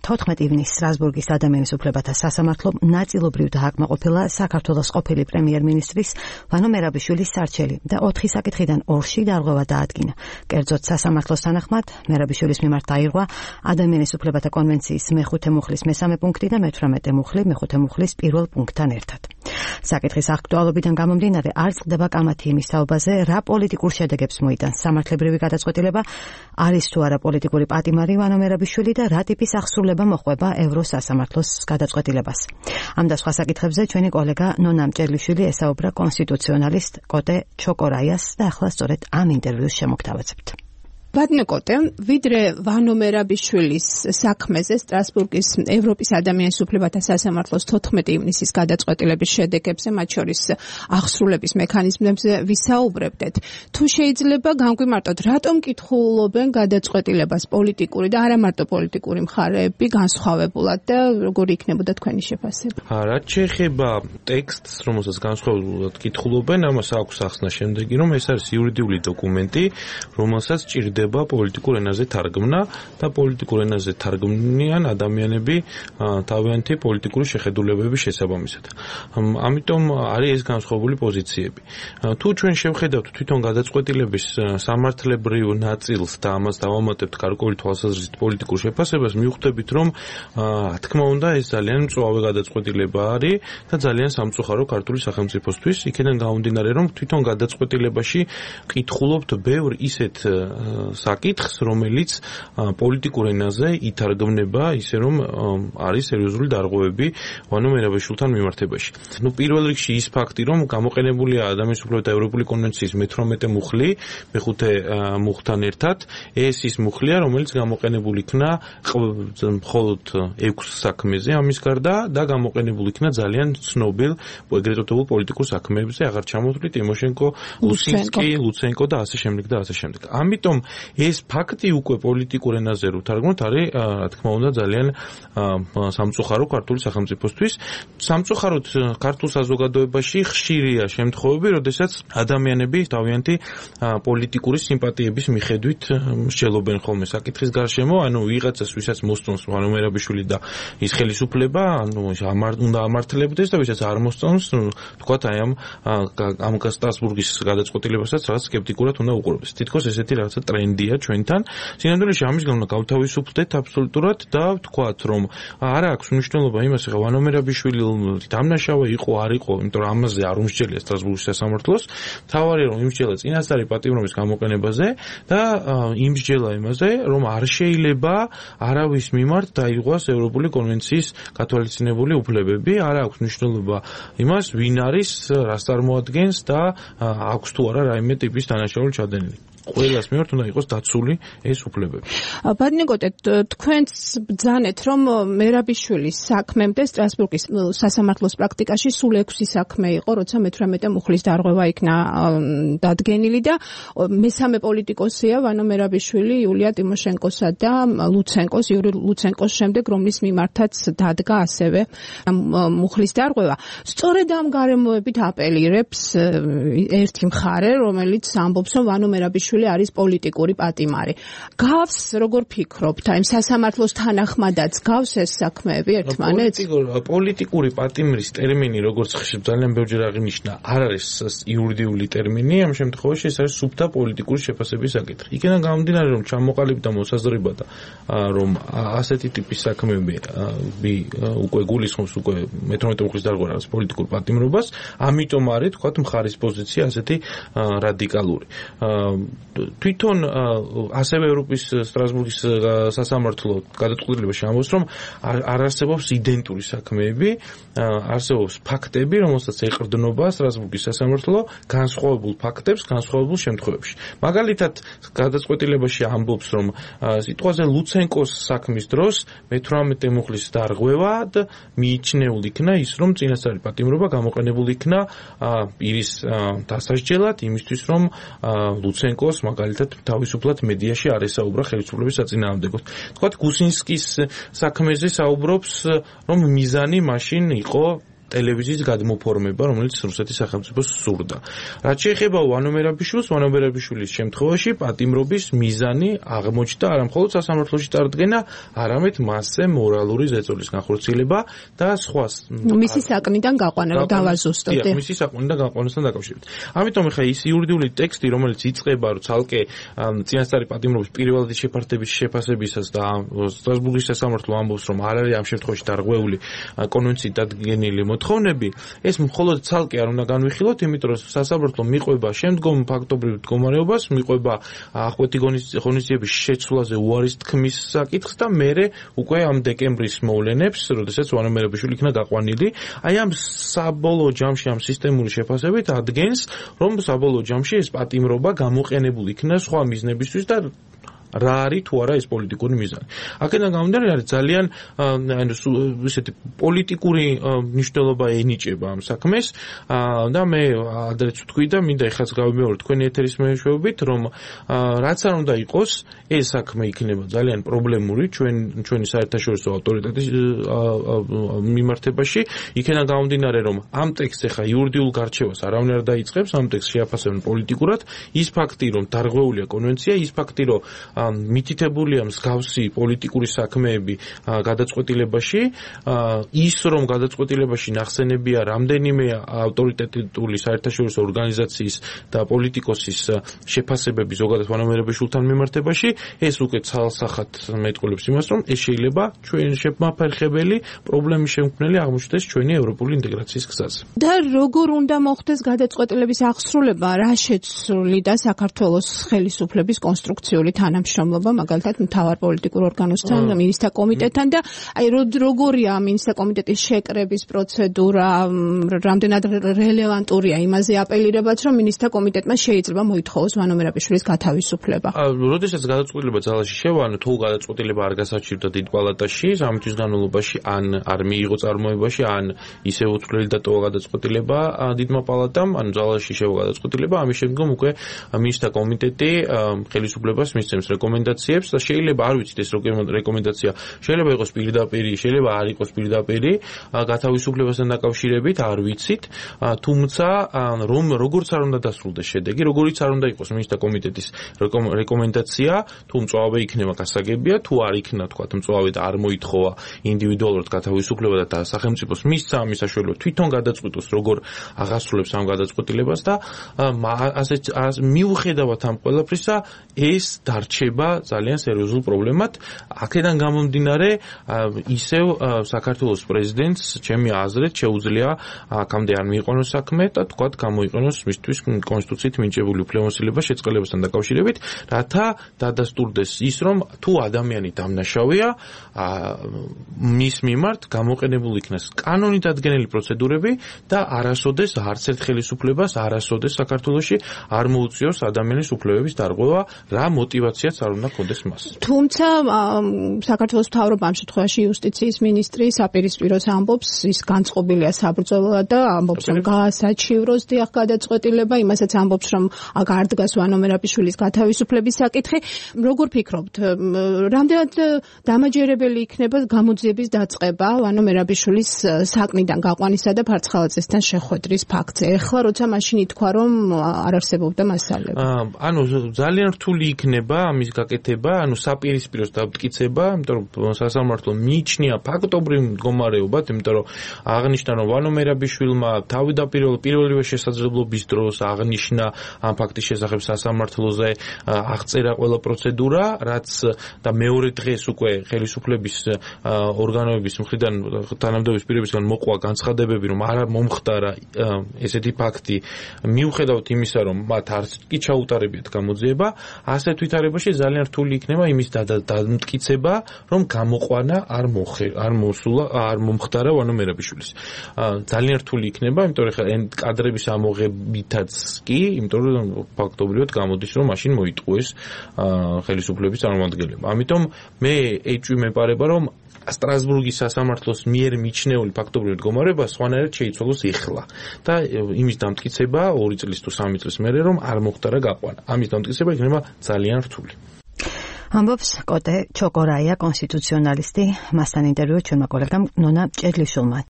14 ივნისს სტრასბურგის ადამიანის უფლებათა სასამართლომ ნაწილობრივ დააკმაყოფილა საქართველოს ყოფილი პრემიერ-მინისტრის ვანო მერაბიშვილის სარჩელი და 4 საკითხიდან 2-ში დარღვევა დაადგინა. კერძოდ სასამართლოს თანახმად მერაბიშვილის მიმართ დაირღვა ადამიანის უფლებათა კონვენციის მე-5 მუხლის მე-3 პუნქტი და მე-18 მუხლი მე-5 მუხლის 1 პუნქტთან ერთად. საკითხის აქტუალობიდან გამომდინარე არ წყდება კამათი იმის თაობაზე, რა პოლიტიკურ შედეგებს მოიტანს სამართლებრივი გადაწყვეტილება, არის თუ არა პოლიტიკური პატიმარი ვანო მერაბიშვილი და რა ტიპის აღსრულება მოყვება ევროსასამართლოს გადაწყვეტილებას. ამ და სხვა საკითხებზე ჩვენი კოლეგა ნონა მჭერლიშვილი ესაუბრა კონსტიტუციონალისტ კოტე ჩოკორაიას და ახლა სწორედ ამ ინტერვიუს შემოგთავაზებთ. ბატონო კოტე, ვიდრე ვანო მერაბიშვილის საქმეზე სტრასბურგის ევროპის ადამიანის უფლებათა სასამართლოს 14 ივნისის გადაწყვეტილების შედეგებზე, მათ შორის აღსრულების მექანიზმებზე ვისაუბრებდეთ. თუ შეიძლება განგვიმარტოთ, რატომ კითხულობენ გადაწყვეტილებას პოლიტიკური და არა მარტო პოლიტიკური მხარეები განსხვავებულად და როგორი იქნებოდა თქვენი შეფასება? რაც შეეხება ტექსტს, რომელსაც განსხვავებულად კითხულობენ, ამას აქვს ახსნა შემდეგი, რომ ეს არის იურიდიული დოკუმენტი, რომელსაც ჭირდება პოლიტიკურ ენაზე თარგმნა და პოლიტიკურ ენაზე თარგმნიან ადამიანები თავიანთი პოლიტიკური შეხედულებების შესაბამისად. ამიტომ არის ეს განსხვავებული პოზიციები. თუ ჩვენ შევხედავთ თვითონ გადაწყვეტილების სამართლებრივ ნაწილს და ამას დავამატებთ გარკვეული თვალსაზრისით პოლიტიკურ შეფასებას, მივხვდებით, რომ თქმა უნდა ეს ძალიან მწვავე გადაწყვეტილება არის და ძალიან სამწუხარო ქართული სახელმწიფოსთვის. იქიდან გამომდინარე, რომ თვითონ გადაწყვეტილებაში კითხულობთ ბევრ ისეთ საკითხს, რომელიც პოლიტიკურ ენაზე ითარგმნება ისე, რომ არის სერიოზული დარღვევები ვანო მერაბიშვილთან მიმართებაში. პირველ რიგში ის ფაქტი, რომ გამოყენებულია ადამიანის უფლებათა ევროპული კონვენციის მე-18 მუხლი, მე-5 მუხლთან ერთად, ეს ის მუხლია, რომელიც გამოყენებული იქნა მხოლოდ 6 საქმეზე ამის გარდა და გამოყენებული იქნა ძალიან ცნობილ ეგრეთ წოდებულ პოლიტიკურ საქმეებზე, აღარ ჩამოთვლი ტიმოშენკო, ლუცენკო და ასე შემდეგ და ასე შემდეგ. ამიტომ ეს ფაქტი უკვე პოლიტიკურ ენაზე რო თარგმნოთ არის, რა თქმა უნდა, ძალიან სამწუხარო ქართული სახელმწიფოსთვის. სამწუხაროდ ქართულ საზოგადოებაში ხშირია შემთხვევები, როდესაც ადამიანები თავიანთი პოლიტიკური სიმპათიების მიხედვით მსჯელობენ ხოლმე საკითხის გარშემო, ანუ ვიღაცას, ვისაც მოსწონს ვანო მერაბიშვილი და ის ხელისუფლება, ანუ უნდა ამართლებდეს და ვისაც არ მოსწონს, თქვათ აი ამ სტრასბურგის გადაწყვეტილებასაც რაღაც სკეპტიკურად უნდა უყურებდეს. თითქოს ესეთი რაღაცა ტრენდია ჩვენთან. სინამდვილეში ამის გამო გავთავისუფლდეთ აბსოლუტურად და ვთქვათ, რომ არ აქვს მნიშვნელობა იმას, ხა ვანო მერაბიშვილი დამნაშავე იყო, არ იყო, იმიტომ რომ ამაზე არ უმსჯელია სტრასბურგის სასამართლოს. თავარია რომ იმსჯელა წინასწარი პატიმრობის გამოყენებაზე და იმსჯელა იმაზე, რომ არ შეიძლება არავის მიმართ დაიღოს ევროპული კონვენციის გათვალისწინებული უფლებები, არ აქვს მნიშვნელობა იმას, ვინ არის, რას წარმოადგენს და აქვს თუ არა რაიმე ტიპის დანაშაული ჩადენილი. ყველას მიმართ უნდა იყოს დაცული ეს უფლებები. ბატონო კოტე, თქვენც ბრძანეთ, რომ მერაბიშვილის საქმემდე სტრასბურგის სასამართლოს პრაქტიკაში სულ 6 საქმე იყო, როცა მე-18 მუხლის დარღვევა იქნა დადგენილი და მესამე პოლიტიკოსია ვანო მერაბიშვილი იულია ტიმოშენკოსა და იური ლუცენკოს შემდეგ, რომლის მიმართაც დადგა ასევე მუხლის დარღვევა. სწორედ ამ გარემოებით აპელირებს ერთი მხარე, რომელიც ამბობს, რომ ვანო მერაბიშვილი არის პოლიტიკური პატიმარი. გავს, როგორ ფიქრობთ, აი სასამართლოს თანახმადაც გავს ეს საქმეები ერთმანეთს? პოლიტიკური პატიმრის ტერმინი, როგორც ძალიან ბევრჯერ აღინიშნა, არ არის იურიდიული ტერმინი, ამ შემთხვევაში ეს არის სუფთა პოლიტიკური შეფასების საკითხი. იქიდან გამომდინარე, რომ ჩამოყალიბდა მოსაზრება, რომ ასეთი ტიპის საქმეები უკვე გულისხმობს უკვე მე-18 მუხლის დარღვევას პოლიტიკურ პატიმრობას, ამიტომ არის, თქვათ, მხარის პოზიცია ასეთი რადიკალური. თვითონ ასევე ევროპის სტრასბურგის სასამართლო გადაწყვეტილებაში ამბობს, რომ არ არსებობს იდენტური საქმეები, არსებობს ფაქტები, რომელსაც ეყრდნობა სტრასბურგის სასამართლო განსხვავებულ ფაქტებს, განსხვავებულ შემთხვევებში. მაგალითად, გადაწყვეტილებაში ამბობს, რომ სიტყვაზე ლუცენკოს საქმის დროს მე-18 მუხლის დარღვევად მიიჩნეულ იქნა ის, რომ წინასწარი პატიმრობა გამოყენებული იქნა პირის დასასჯელად, იმისთვის, რომ ლუცენკოს მაგალითად თავისუფლად მედიაში არ ესაუბრა ხელისუფლების საწინააღმდეგოდ. თქვათ, გუსინსკის საქმეზე საუბრობს, რომ მიზანი მაშინ იყო ტელევიზიის გადმოფორმება, რომელიც რუსეთის სახელმწიფოს სურდა. რაც შეეხება ვანო მერაბიშვილის შემთხვევაში პატიმრობის მიზანი აღმოჩნდა არა მხოლოდ სასამართლოში წარდგენა, არამედ მასზე მორალური ზეწოლის განხორციელება და სხვა მისი საკნიდან გაყვანა დავაზუსტოთ. მისი საკნიდან გაყვანასთან დაკავშირებით. ამიტომ ეხლა ის იურიდიული ტექსტი, რომელიც იწყება ცალკე წინასწარი პატიმრობის პირველადი შეფასების შეფასებისას და სტრასბურგის სასამართლო ამბობს, რომ არ არის ამ შემთხვევაში დარღვეული კონვენციით დადგენილი მოთხოვნები, ეს მხოლოდ ცალკე არ უნდა განვიხილოთ, იმიტომ რომ სასამართლო მიყვება შემდგომ ფაქტობრივ მდგომარეობას, მიყვება ახვითი ღონისძიების შეცვლაზე უარის თქმის საკითხს და მერე უკვე ამ დეკემბრის მოვლენებს, როდესაც ვანო მერაბიშვილი იქნა გაყვანილი, აი ამ საბოლოო ჯამში ამ სისტემური შეფასებით ადგენს, რომ საბოლოო ჯამში ეს პატიმრობა გამოყენებული იქნა სხვა მიზნებისთვის და რა არის თუ არა ეს პოლიტიკური მიზანი. აქედან გამომდინარე არის ძალიან ისეთი პოლიტიკური მნიშვნელობა ენიჭება ამ საქმეს და მე ადრეც ვთქვი და მინდა ეხლაც გავიმეორო თქვენი ეთერის მეშვეობით, რომ რაც არ უნდა იყოს, ეს საქმე იქნება ძალიან პრობლემური ჩვენი საერთაშორისო ავტორიტეტის მიმართებაში. იქედან გამომდინარე, რომ ამ ტექსტს ეხა იურიდიულ გარჩევას არავინ არ დაიწყებს, ამ ტექსტს შეაფასებენ პოლიტიკურად, ის ფაქტი, რომ დარღვეულია კონვენცია, ის ფაქტი, რომ მითითებულია მსგავსი პოლიტიკური საქმეები გადაწყვეტილებაში, ის რომ გადაწყვეტილებაში ნახსენებია რამდენიმე ავტორიტეტული საერთაშორისო ორგანიზაციის და პოლიტიკოსის შეფასებები ზოგადად ვანო მერაბიშვილთან მიმართებაში, ეს უკვე ცალსახად მეტყველებს იმას, რომ ეს შეიძლება ჩვენ შემაფერხებელი პრობლემის შემქმნელი აღმოჩნდეს ჩვენი ევროპული ინტეგრაციის გზაზე. და როგორ უნდა მოხდეს გადაწყვეტილების აღსრულება, რა შეცვლიდა საქართველოს ხელისუფლების კონსტრუქციული თანამშრომლობა, მაგალითად მთავარ პოლიტიკურ ორგანოსთან, მინისტრთა კომიტეტთან და აი როგორია მინისტრთა კომიტეტის შეკრების პროცედურა, რამდენად რელევანტურია იმაზე აპელირებაც, რომ მინისტრთა კომიტეტმა შეიძლება მოითხოვოს ვანო მერაბიშვილის გათავისუფლება. როდესაც გადაწყვეტილება ძალაში შევანო, თუ გადაწყვეტილება არ გასაჩივრდა დიდ პალატაში, 3 თვის განმავლობაში ან არ მიიღო წარმოებაში, ან ისევ უცვლელი დატოვა გადაწყვეტილება დიდმა პალატამ, ან ძალაში შევა გადაწყვეტილება, ამის შემდგომ უკვე მინისტრთა კომიტეტი ხელისუფლებას მისცემს რეკომენდაციებს და შეიძლება არ ვიცით ეს რეკომენდაცია შეიძლება იყოს პირდაპირი, შეიძლება არ იყოს პირდაპირი გათავისუფლებასთან დაკავშირებით, არ ვიცით, თუმცა რომ როგორც არ უნდა დასრულდეს შედეგი, როგორიც არ უნდა იყოს მინისტრთა კომიტეტის რეკომენდაცია, თუ მწვავე იქნება გასაგებია, თუ არ იქნა თქვა მწვავე და არ მოითხოვა ინდივიდუალურად გათავისუფლება და სახელმწიფოს მისცა ამის საშუალება თვითონ გადაწყვიტოს როგორ აღასრულებს ამ გადაწყვეტილებას და მიუხედავად ამ ყველაფრისა ეს დარჩება ძალიან სერიოზულ პრობლემად. აქედან გამომდინარე ისევ საქართველოს პრეზიდენტს ჩემი აზრით შეუძლია აქამდე არ მიიყვანოს საქმე და თქვათ გამოიყენოს მისთვის კონსტიტუციით მინიჭებული უფლებამოსილება შეწყელებასთან დაკავშირებით, რათა დადასტურდეს ის, რომ თუ ადამიანი დამნაშავეა, მის მიმართ გამოყენებული იქნას კანონით ადგენილი პროცედურები და არასოდეს არც ერთ ხელისუფლებას არასოდეს საქართველოში არ მოუწიოს ადამიანის უფლებების დარღვევა, რა мотивაციაც არ უნდა კონდეს მას. თუმცა საქართველოს მთავრობა ამ შემთხვევაში იუსტიციის მინისტრი საპირისპიროს ამბობს, ის განწყობილია საბრძოლველად და ამბობს, რომ გაასაჩივროს დიახ გადაწყვეტილება, იმასაც ამბობს, რომ არ დგას ვანო მერაბიშვილის გათავისუფლების საკითხი. როგორ ფიქრობთ, რამდენად დამაჯერებელი იქნება გამოძიების დაწყება ვანო მერაბიშვილის საკნიდან გაყვანისა და ფარცხალაძესთან შეხვედრის ფაქტზე? ეხლა როცა მაშინ ითქვა, რომ არ არსებობდა მასალები. ძალიან რთული იქნება ამის გაკეთება, საპირისპიროს დამტკიცება, იმიტომ რომ სასამართლო მიიჩნია ფაქტობრივ მდგომარეობად, იმიტომ რომ აღნიშნა, რომ ვანო მერაბიშვილმა პირველივე შესაძლებლობის დროს აღნიშნა ამ ფაქტის შესახებ სასამართლოზე, აღწერა ყველა პროცედურა, რაც და მეორე დღეს უკვე ხელისუფლების ორგანოების მხრიდან თანამდებობის პირებისგან მოყვა განცხადებები, რომ არ მომხდარა ესეთი ფაქტი, მიუხედავად იმისა, რომ მათ არც კი ჩაუტარებიათ გამოძიება, ასეთ ვითარებაში ძალიან რთული იქნება იმის დამტკიცება, რომ გამოყვანა არ მომხდარა ვანო მერაბიშვილის. ძალიან რთული იქნება, იმიტომ რომ კადრების ამოღებითაც კი, იმიტომ რომ ფაქტობრივად გამოდის, რომ მაშინ მოიტყუეს ხელისუფლების წარმომადგენლება. ამიტომ მე ეჭვი მეპარება, რომ სტრასბურგის სასამართლოს მიერ მიჩნეული ფაქტობრივი მდგომარეობა სხვანაირად შეიცვალოს ეხლა და იმის დამტკიცება 2 წლის თუ 3 წლის მერე რომ არ მოხდარა გაყვანა. ამის დამტკიცება იქნება ძალიან რთული. ამბობს კოტე ჩოკორაია, კონსტიტუციონალისტი, მასთან ინტერვიუ ჩვენმა კოლეგამ ნონა ჭედლიშვილმა.